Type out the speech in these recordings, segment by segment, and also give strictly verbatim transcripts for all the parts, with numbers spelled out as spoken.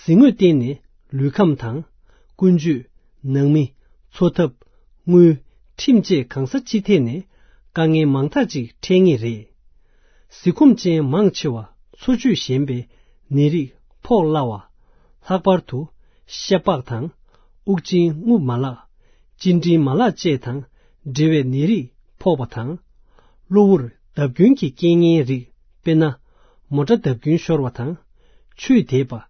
གཟིགས་ངོས་བརྟེན་ནས་ལུས་ཁམས་དང་། ཀུན་སྤྱོད། ནང་མི། འཚོ་ཐབས། དངུལ། ཁྲིམས་བཅས་གང་ས་ཅི་ཐད་ནས་དཀའ་ངལ་མང་དག་ཅིག་འཕྲད་ངེས་རེད། གཟིགས་ཁོམ་ཅན་མང་ཆེ་བ་འཚོ་བཅུད་ཞན་པའི་ནད་རིགས་ཕོག་སླ་བ། ལྷག་པར་དུ་ཤ་པགས་དང་། དབུགས་འབྱིན་རྔུབ་མ་ལག་གཅིན་དྲིལ་མ་ལག་བཅས་དང་འབྲེལ་བའི་ནད་རིགས་ཕོག་པ་དང་། གློ་བུར་བརྡབ་སྐྱོན་གྱི་རྐྱེན་ངན་རིགས། དཔེར་ན། མོ་ཊ་བརྡབ་སྐྱོན་ཤོར་བ་དང་། ཆུས་དེད་པ།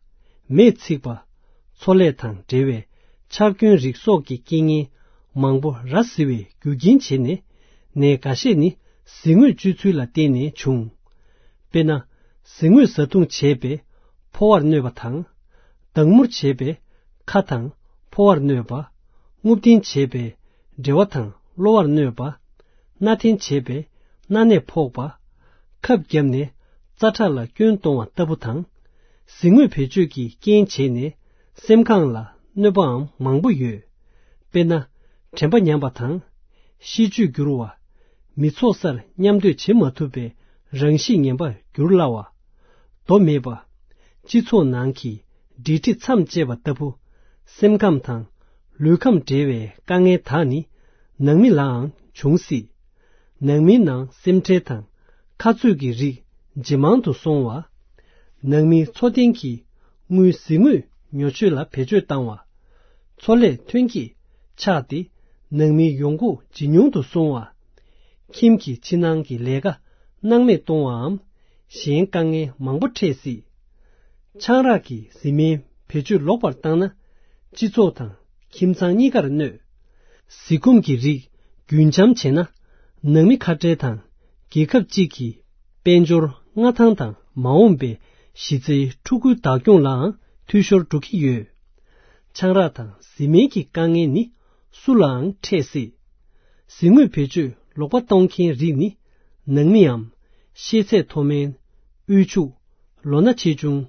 མེས་ཚིག་པ། མཚོ་ལས་དང་འབྲེལ་བའི་ཆག་སྐྱོན་རིགས་སོགས་ཀྱི་རྐྱེན་ངན་མང་པོ་ར་བཟི་བའི་རྒྱུ་རྐྱེན་བྱས་ནས། ནད་འགའ་ཤས་ནི་གཟིགས་ངོས་སྤྱོད་ཚུལ་ལ་བརྟེན་ནས་བྱུང་། དཔེར་ན། གཟིགས་ངོས་བཟའ་བཏུང་བྱས་པས་ཕོ་བར་གནོད་པ་དང་། སྡང་མུར་བྱས་པས་ཁ་དང་ཕོ་བར་གནོད་པ། རྔུབ་སྟེན་བྱས་པས་འབྲེལ་བ་དང་གློ་བར་གནོད་པ། སྣ་འཐེན་བྱས་པས་སྣ་ནས་ཕོག་པ། ཁབ་བརྒྱབ་ནས་རྩ་ཁྲག་ལ་སྐྱོན་གཏོང་བ་ལྟ་བུ་དང་། གཟིགས་ངོས་བེད་སྤྱོད་ཀྱི་རྐྱེན་བྱས་ནས་སེམས་ཁམས་ལ་གནོད་པའང་མང་པོ་ཡོད། དཔེར་ན། དྲན་པ་ཉམས་པ་དང་། གཤིས་སྤྱོད་འགྱུར་བ། མི་ཚོགས་སར་མཉམ་སྡོད་བྱེད་མ་ཐུབ་པའི་རང་གཤིས་ངན་པར་འགྱུར་སླ་བ། མདོ་མེད་པ། སྤྱི་ཚོགས་ནང་གི་འགྲིག་འགྲིག་མཚམས་བཅད་པ་ལྟ་བུ། སེམས་ཁམས་དང་ལུས་ཁམས་འབྲེལ་བའི་དཀའ་ངལ་དག་ནི་ནང་མི་ལའང་འབྱུང་སྲིད། ནང་མིའི་ནང་སེམས་ཁྲལ་དང་ཁ་རྩོད་ཀྱི་རིགས་ཇེ་མང་དུ་སོང་བ། ནང་མིའི་འཚོ་རྟེན་གྱི་དངུལ་གཟིགས་ངོས་ཉོ་སྤྱོད་ལ་བེད་སྤྱོད་བཏང་བ། མཚོ་ལས་ཐོན་སྐྱེད་ཆག་སྟེ་ནང་མིའི་ཡོང་སྒོ་ཇེ་ཉུང་དུ་སོང་བ། ཁྱིམ་གྱི་ཕྱི་ནང་གི་ལས་ཀ་སྣང་མེད་གཏོང་བའམ་གཞན་དཀའ་ངལ་མང་པོ་འཕྲད་སྲིད། ཆང་རག་གི་གཟིགས་མོའི་བེད་སྤྱོད་ལོག་པར་བཏང་ན་སྤྱི་ཚོགས་དང་ཁྱིམ་ཚང་གཉིས་ཀར་གནོད། གཟིགས་ཁོམ་གྱི་རིགས་རྒྱུན་འབྱམས་བྱས་ན་ནང་མི་ཁ་བྲལ་དང་རྒྱལ་ཁབ་གཅིག་གི་དཔལ་འབྱོར་མངའ་ཐང་དང་མ་འོངས་པའི་གཞི་རྩའི་ཕྲུ་གུའི་བདག་སྐྱོང་ལའང་འཐུས་ཤོར་འགྲོ་གི་ཡོད། ཆང་རག་དང་གཟིགས་མོའི་གི་དཀའ་ངལ་ནི་སུ་ལའང་འཕྲད་སྲིད། གཟིགས་ངོས་བེད་སྤྱོད་ལོག་པ་གཏོང་མཁན་རིགས་ནི་ནང་མིའམ་ཤེས་ཚད་མཐོ་དམན། དབུལ་ཕྱུག་ལོ་ན་ཆེ་ཆུང་།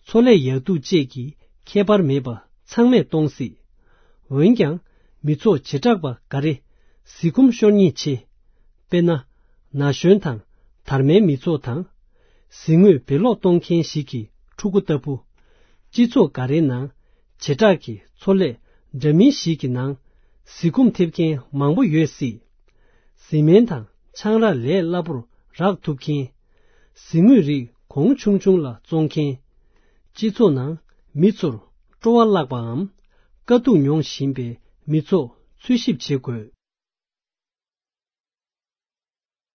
འཚོ་ལས་ཡག་སྡུག་བཅས་ཀྱི་ཁྱད་པར་མེད་པ་ཚང་མས་གཏོང་སྲིད། འོན་ཀྱང་མི་ཚོགས་བྱེ་བྲག་པ་འགའ་རེ་གཟིགས་ཁོམ་ཤོར་ཉེན་ཆེ། དཔེར་ན། ན་གཞོན་དང་དར་མའི་མི་ཚོགས་དང་། གཟིགས་ངོས་བེད་ལོག་གཏོང་མཁན་ཞིག་གི་ཕྲུ་གུ་ལྟ་བུ། སྤྱི་ཚོགས་འགའ་རེའི་ནང་བྱེ་བྲག་གི་འཚོ་ལས་འདྲ་མིན་ཞིག་གི་ནང་གཟིགས་ཁོམ་ཐེབས་མཁན་མང་པོ་ཡོད་སྲིད། གཟིགས་མོ་དང་ཆང་རག་ལས་སླ་པོར་རག་ཐུབ་མཁན། གཟིགས་ངོས་རིགས་གོང་ཆུང་ཆུང་ལ་བཙོང་མཁན། སྤྱི་ཚོགས་ནང་མི་ཚོར་སྤྲོ་བ་བརླག་པའམ་དཀའ་སྡུག་མྱོང་བཞིན་པའི་མི་ཚོགས་འཚོལ་ཞིབ་བྱེད་དགོས།